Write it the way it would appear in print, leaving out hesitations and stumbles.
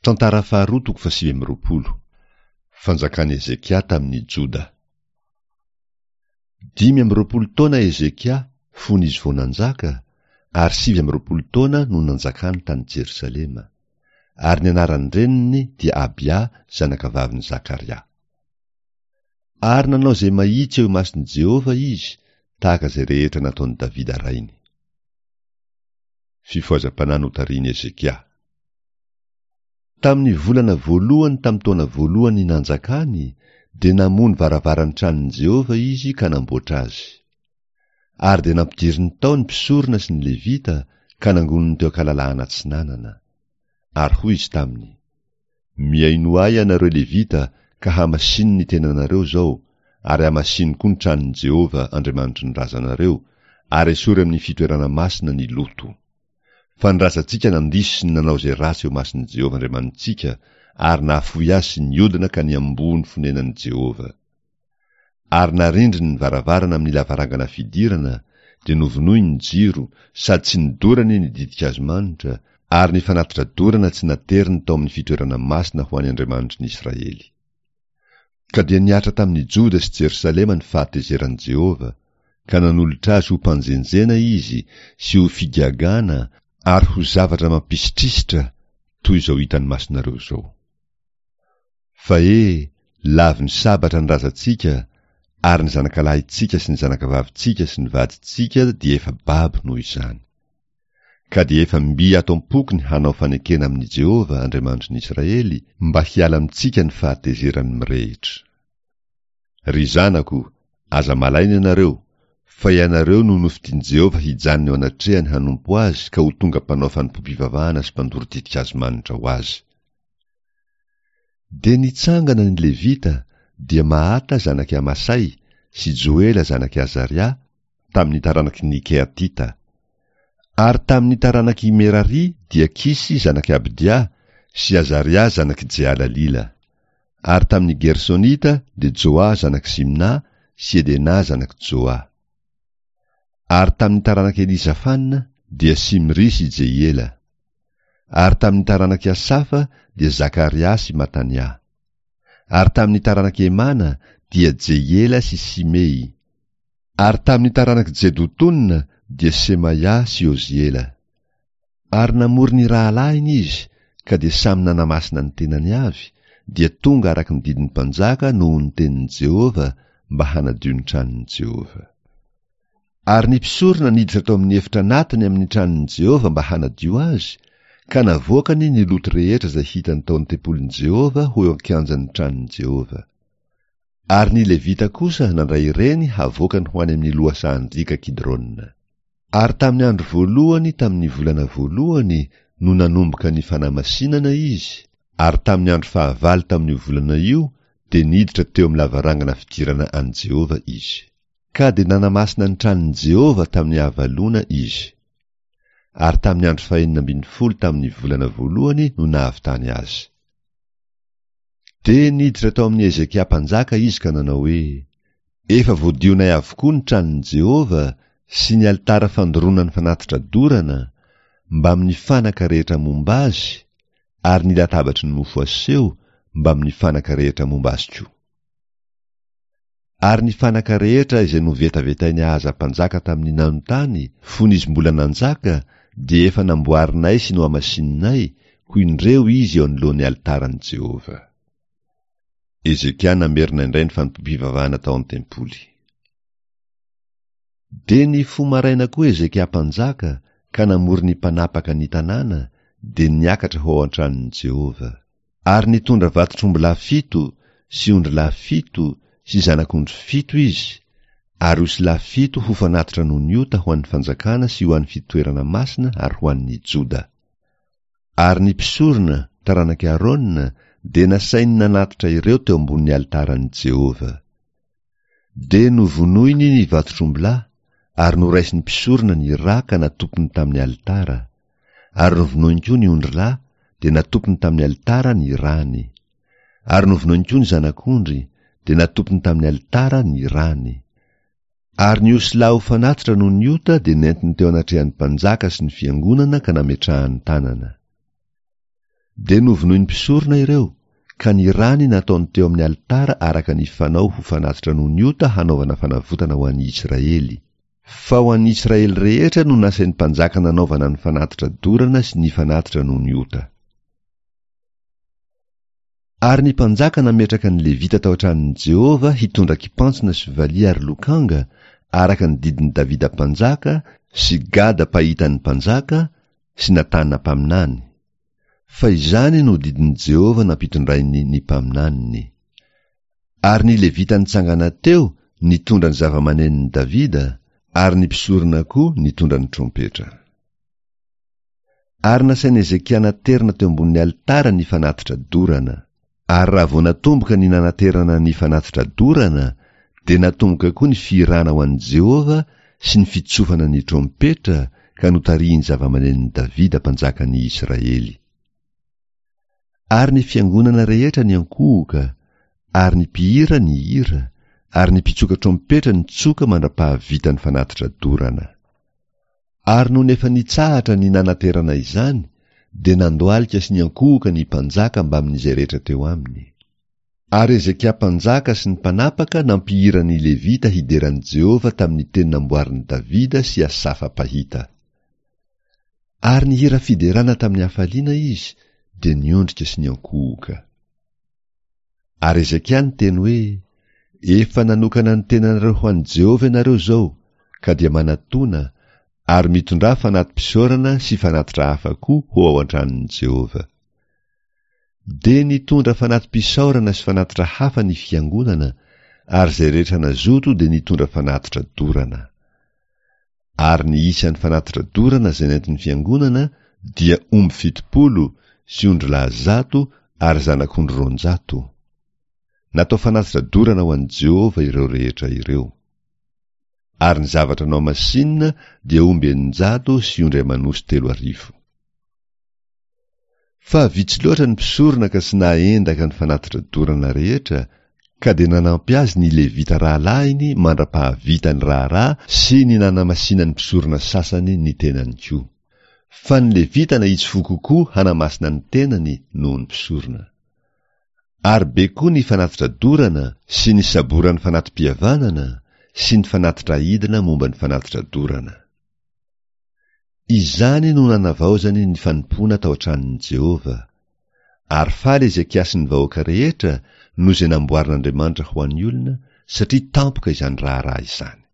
Tantara faharoa toko fahasivy amby 20. Fanjakan'i Hezekia tamin'i Joda. 25 taona Hezekia fony izy vao nanjaka, ary 29 taona no nanjakany tany Jerosalema. Ary ny anaran-dreniny dia Abia zanakavavin'i Zakaria. Ary nanao izay mahitsy eo imason'i Jehovah izy, tahaka izay rehetra nataon'i Davida rainy. Fifohazam-panahy notarihin'i Hezekia. Tamin'ny volana voalohany tamin'ny taona voalohany nanjakany, dia namoha ny varavaran'ny tranon'i Jehovah izy ka namboatra azy. Ary dia nampidiriny tao ny mpisorona sy ny Levita ka nangoniny teo an-kalalahana atsinanana. Ary hoy izy taminy, Mihainoa ahy ianareo Levita ka hamasino ny tenanareo izao, ary hamasino koa ny tranon'i Jehovah Andriamanitry ny razanareo, ary esory amin'ny fitoerana masina ny loto. Fa ny razantsika nandiso sy nanao izay ratsy eo imason'i Jehovah Andriamanitsika, ary nahafoy azy sy niodina ka niamboho ny fonenan'i Jehovah. Ary narindriny ny varavarana amin'ny lavarangana fidirana, dia novonoiny ny jiro, sady tsy nodorany ny ditin-kazo manitra, ary ny fanatitra dorana tsy nateriny tao amin'ny fitoerana masina ho an'ny Andriamanitry ny Israely. Ka dia nihatra tamin'i Joda sy Jerosalema ny fahatezeran'i Jehovah, ka nanolotra azy ho mpanjenjena izy sy ho figagana ary ho zavatra mampisitrisitra toy izao hitan'ny masonareo izao. Fa he, lavin'ny sabatra ny razantsika, ary ny zanakalahintsika sy ny zanakavavintsika sy ny vadintsika dia efa babo noho izany. Ka dia efa mby ato am-poko ny hanao fanekena amin'i Jehovah, Andriamanitry ny Israely, mba hiala amintsika ny fahatezerany mirehitra. Ry zanako, aza malaina ianareo, fa ianareo no nofidin'i Jehovah hijanona eo anatrehany hanompo azy ka ho tonga mpanao fanompoam-pivavahana sy mpandoro ditin-kazo manitra ho azy. Dia nitsangana ny Levita, dia Mahata zanak'i Amasay sy Joela zanak'i Azaria, tamin'ny taranaky ny Kehatita. Ary tamin'ny taranak'i Merary dia Kisy zanak'i Abdia sy Azaria zanak'i Jehalalila. Ary tamin'ny Gersonita dia Joa zanak'i Simna sy Edena zanak'i Joa. Ary tamin'ny taranak'i Elizafana dia Simry sy Jehiela. Ary tamin'ny taranak'i Asafa dia Zakaria sy Matania. Ary tamin'ny taranak'i Hemana dia Jehiela sy Simey. Ary tamin'ny taranak'i Jedotona dia Semaia sy Oziela. Ary namory ny rahalahiny izy, ka dia samy nanamasina ny tenany avy, dia tonga araka ny didin'ny mpanjaka noho ny tenin'i Jehovah mba hanadio ny tranon'i Jehovah. Ary ny mpisorona niditra tao amin'ny efitra anatiny amin'ny tranon'i Jehovah mba hanadio azy, ka navoakany ny loto rehetra izay hitany tao an-tempolin'i Jehovah ho eo an-kianjan'ny tranon'i Jehovah. Ary ny Levita kosa nandray ireny havoakany ho any amin'ny lohasahan-driaka Kidrona. Ary tamin'ny andro voalohany tamin'ny volana voalohany no nanomboka ny fanamasinana izy, ary tamin'ny andro fahavalo tamin'io volana io dia niditra teo amin'ny lavarangana fidirana an'i Jehovah izy. Ka dia nanamasina ny tranon'i Jehovah tamin'ny havaloana izy. Ary tamin'ny andro fahenina ambin'ny folo tamin'ny volana voalohany no nahavitany azy. Dia niditra tao amin'i Hezekia mpanjaka izy ka nanao hoe, Efa voadionay avokoa ny tranon'i Jehovah sy ny alitara fandoroana ny fanatitra dorana, mbamin'ny fanaka rehetra momba azy, ary ny latabatry ny mofo aseho, mbamin'ny fanaka rehetra momba azy koa. Ary ny fanaka rehetra izay novetavetain'i Ahaza mpanjaka tamin'ny nanontany, fony izy mbola nanjaka, dia efa namboarinay sy nohamasininay, koa indreo izy eo anoloan'ny alitaran'i Jehovah. Hezekia namerina indray ny fanompoam-pivavahana tao an-tempoly. Dia nifoha maraina koa Hezekia mpanjaka ka namory ny mpanapaka ny tanàna, dia niakatra ho ao an-tranon'i Jehovah. Ary nitondra vatotr'ombilahy fito sy ondrilahy fito sy zanak'ondry fito izy, ary osilahy fito ho fanatitra noho ny ota ho an'ny fanjakana sy ho an'ny fitoerana masina ary ho an'ny Joda. Ary ny mpisorona, taranak'i Arona, dia nasainy nanatitra ireo teo ambonin'ny alitaran'i Jehovah. Dia novonoiny ny vatotr'ombilahy, ary noraisin'ny mpisorona ny ra ka natopiny tamin'ny alitara, ary novonoiny koa ny ondrilahy, dia natopiny tamin'ny alitara ny rany. Ary novonoiny koa ny zanak'ondry, dia natopiny tamin'ny alitara ny rany. Ary ny osilahy ho fanatitra noho ny ota dia nentiny teo anatrehan'ny mpanjaka sy ny fiangonana ka nametrahany tanana. Dia novonoin'ny mpisorona ireo, ka ny rany nataony teo amin'ny alitara araka ny fanao ho fanatitra noho ny ota hanaovana fanavotana ho an'ny Israely. Fa ho an'ny Israely rehetra no nasain'ny mpanjaka nanaovana ny fanatitra dorana sy ny fanatitra noho ny ota. Ary ny mpanjaka nametraka ny Levita tao an-tranon'i Jehovah hitondra kipantsona sy valiha ary lokanga, araka ny didin'i Davida mpanjaka sy Gada mpahitan'ny mpanjaka sy Natana mpaminany. Fa izany no didin'i Jehovah nampitondrainy ny mpaminaniny. Ary ny Levita nitsangana teo nitondra ny zava-manenon'i Davida, ary ny mpisorona koa nitondra ny trompetra. Ary nasain'i Hezekia naterina teo ambonin'ny alitara ny fanatitra dorana. Ary raha vao natomboka ny nanaterana ny fanatitra dorana, dia natomboka koa ny fihirana ho an'i Jehovah sy ny fitsofana ny trompetra ka notarihin'ny zava-manenon'i Davida mpanjakan'ny Israely. Ary ny fiangonana rehetra niankohoka, ary ny mpihira nihira, ary ny mpitsoka trompetra nitsoka mandra-pahavitan'ny fanatitra dorana. Ary nony efa nitsahatra ny nanaterana izany, dia nandohalika sy niankohoka ny mpanjaka mbamin'izay rehetra teo aminy. Ary Hezekia mpanjaka sy ny mpanapaka nampihira ny Levita hidera an'i Jehovah tamin'ny teny namboarin'i Davida sy Asafa mpahita. Ary nihira fiderana tamin'ny hafaliana izy, dia niondrika sy niankohoka. Ary Hezekia niteny hoe, Efa nanokana ny tenanareo ho an'i Jehovah ianareo izao, ka dia manatòna, ary mitondrà fanati-pisaorana sy fanatitra hafa koa ho ao an-tranon'i Jehovah. Dia nitondra fanati-pisaorana sy fanatitra hafa ny fiangonana, ary izay rehetra nazoto dia nitondra fanatitra dorana. Ary ny isan'ny fanatitra dorana izay nentin'ny fiangonana dia omby 70 sy ondrilahy 100 ary zanak'ondry 200. Natao fanatitra dorana ho an'i Jehovah ireo rehetra ireo. Ary ny zavatra nohamasinina dia omby 600 sy ondry aman'osy 3000. Fa vitsy loatra ny mpisorona ka tsy nahaendaka ny fanatitra dorana rehetra, ka dia nanampy azy ny Levita rahalahiny mandra-pahavita ny raharaha sy ny nanamasinan'ny mpisorona sasany ny tenany koa. Fa ny Levita nahitsy fo kokoa hanamasina ny tenany noho ny mpisorona. Ary be koa ny fanatitra dorana sy ny saboran'ny fanati-pihavanana sy ny fanatitra aidina momba ny fanatitra dorana. Izany no nanavaozany ny fanompoana tao an-tranon'i Jehovah. Ary faly Hezekia sy ny vahoaka rehetra noho izay namboarin'Andriamanitra ho an'ny olona, satria tampoka izany raharaha izany.